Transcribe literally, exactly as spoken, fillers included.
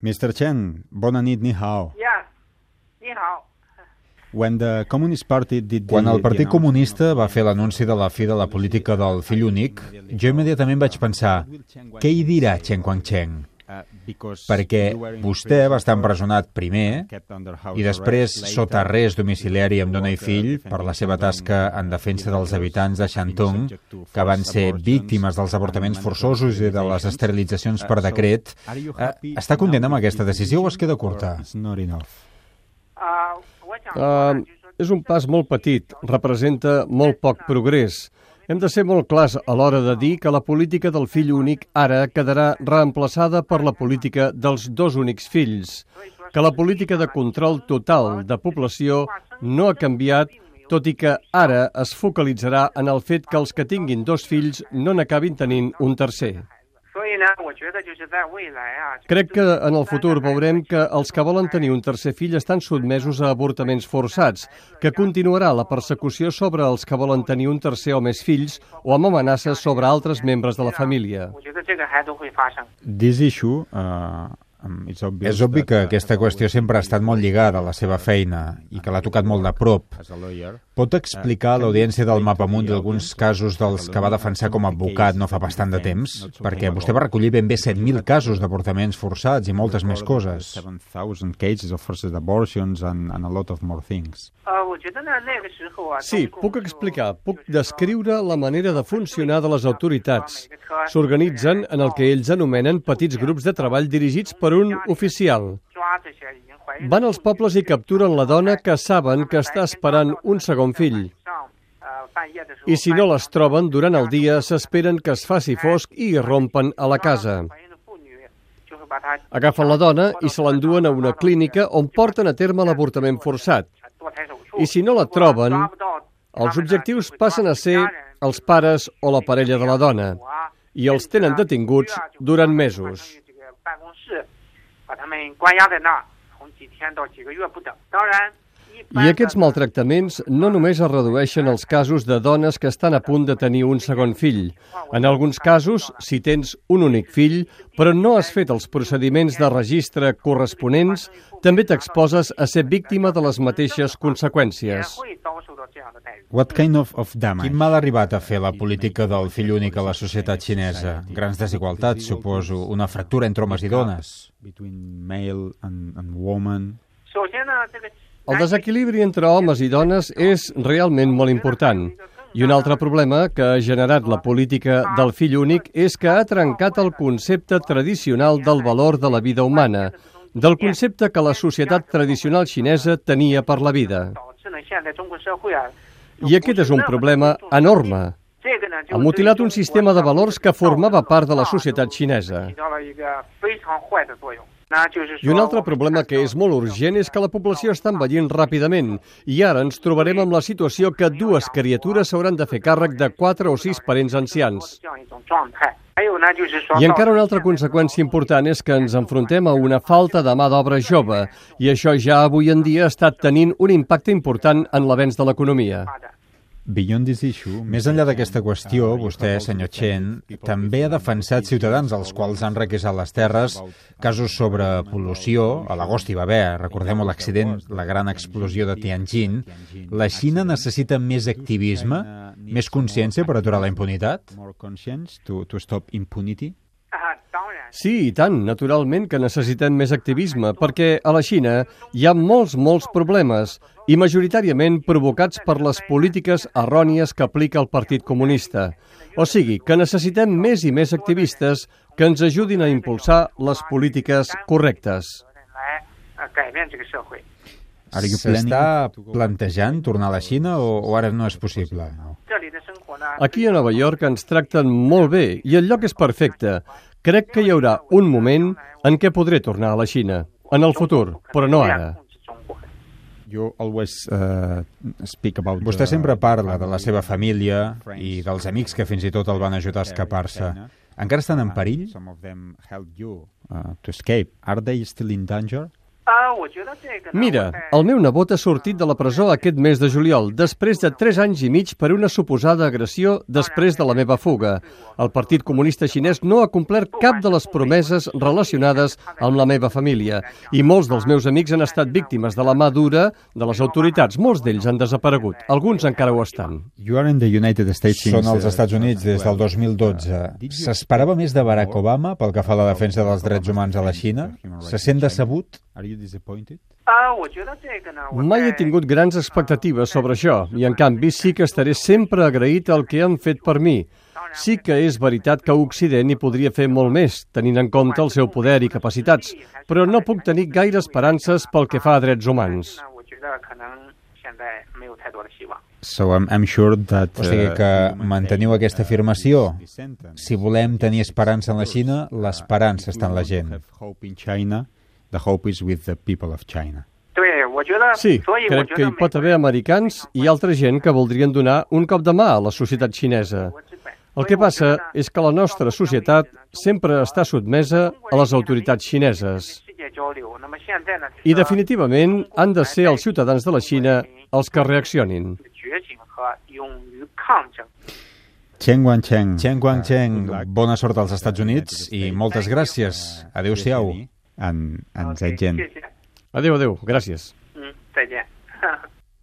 mister Chen, bona nit, ni hao. Yeah, ni hao. When the Communist Party did the, Quan el Partit Comunista va fer l'anunci de la fi de la política del fill únic, jo immediatament vaig pensar, què hi dirà Chen Guangcheng? Perquè vostè va estar empresonat primer i després sota arrest domiciliari amb dona i fill per la seva tasca en defensa dels habitants de Shantung, que van ser víctimes dels avortaments forçosos i de les esterilitzacions per decret. Està content amb aquesta decisió o es queda curta? Uh, és un pas molt petit, representa molt poc progrés. Hem de ser molt clars a l'hora de dir que la política del fill únic ara quedarà reemplaçada per la política dels dos únics fills, que la política de control total de població no ha canviat, tot i que ara es focalitzarà en el fet que els que tinguin dos fills no n'acabin tenint un tercer. Crec que en el futur veurem que els que volen tenir un tercer fill estan sotmesos a avortaments forçats, que continuarà la persecució sobre els que volen tenir un tercer o més fills o amb amenaces sobre altres membres de la família. This issue, uh, És obvi que aquesta qüestió sempre ha estat molt lligada a la seva feina i que l'ha tocat molt de prop. Pot explicar a l'audiència del Mapamundi alguns casos dels que va defensar com a advocat no fa bastant de temps? Perquè vostè va recollir ben bé set mil casos d'avortaments forçats i moltes més coses. Sí, puc explicar, puc descriure la manera de funcionar de les autoritats. S'organitzen en el que ells anomenen petits grups de treball dirigits per un oficial. Van als pobles i capturen la dona que saben que està esperant un segon fill. I si no les troben, durant el dia s'esperen que es faci fosc i irrompen a la casa. Agafen la dona i se l'enduen a una clínica on porten a terme l'avortament forçat. I si no la troben, els objectius passen a ser els pares o la parella de la dona i els tenen detinguts durant mesos. I aquests maltractaments no només es redueixen als casos de dones que estan a punt de tenir un segon fill. En alguns casos, si tens un únic fill, però no has fet els procediments de registre corresponents, també t'exposes a ser víctima de les mateixes conseqüències. What kind of, of damage? Quin mal ha arribat a fer la política del fill únic a la societat xinesa? Grans desigualtats, suposo, una fractura entre homes i dones. Between male and, and woman. El desequilibri entre homes i dones és realment molt important. I un altre problema que ha generat la política del fill únic és que ha trencat el concepte tradicional del valor de la vida humana, del concepte que la societat tradicional xinesa tenia per la vida. I aquest és un problema enorme. Ha mutilat un sistema de valors que formava part de la societat xinesa. I un altre problema que és molt urgent és que la població està envellint ràpidament i ara ens trobarem amb la situació que dues criatures s'hauran de fer càrrec de quatre o sis parents ancians. I encara una altra conseqüència important és que ens enfrontem a una falta de mà d'obra jove i això ja avui en dia està tenint un impacte important en l'avenç de l'economia. Beyond this issue, més enllà d'aquesta qüestió, vostè, senyor Chen, també ha defensat ciutadans als quals han requisat les terres, casos sobre pol·lució, a l'agost hi va haver, recordem l'accident, la gran explosió de Tianjin. La Xina necessita més activisme, més consciència per aturar la impunitat? more conscience to, to stop impunity? Sí, i tant, naturalment que necessitem més activisme, perquè a la Xina hi ha molts, molts problemes, i majoritàriament provocats per les polítiques errònies que aplica el Partit Comunista. O sigui, que necessitem més i més activistes que ens ajudin a impulsar les polítiques correctes. S'està plantejant tornar a la Xina o, o ara no és possible? Aquí a Nova York ens tracten molt bé i el lloc és perfecte. Crec que hi haurà un moment en què podré tornar a la Xina, en el futur, però no ara. You always uh, speak about Vostè the- sempre parla de la seva família i dels amics que fins i tot el van ajudar a escapar-se. Encara estan en perill? Some of them helped you uh, to escape. Are they still in danger? Uh, Mira, el meu nebot ha sortit de la presó aquest mes de juliol, després de tres anys i mig per una suposada agressió després de la meva fuga. El Partit Comunista Xinès no ha complert cap de les promeses relacionades amb la meva família i molts dels meus amics han estat víctimes de la mà dura de les autoritats. Molts d'ells han desaparegut, alguns encara ho estan. You are in the United States Són als Estats Units des del dos mil dotze. S'esperava més de Barack Obama pel que fa a la defensa dels drets humans a la Xina? Se sent decebut? Are you disappointed? Mai he tingut grans expectatives sobre això i, en canvi, sí que estaré sempre agraït al que han fet per mi. Sí que és veritat que Occident hi podria fer molt més, tenint en compte el seu poder i capacitats, però no puc tenir gaire esperances pel que fa a drets humans. So I'm, I'm sure that, O sigui que manteniu aquesta afirmació. Si volem tenir esperança en la Xina, l'esperança està en la gent. The hope is with the people of China. Sí, crec que hi pot haver americans i altra gent que voldrien donar un cop de mà a la societat xinesa. El que passa és que la nostra societat sempre està sotmesa a les autoritats xineses. I definitivament han de ser els ciutadans de la Xina els que reaccionin. Chen Guangcheng. Chen Guangcheng, bona sort als Estats Units i moltes gràcies. Adéu-siau. En, en Zaijian. Adéu, adéu. Gràcies. 嗯，再见。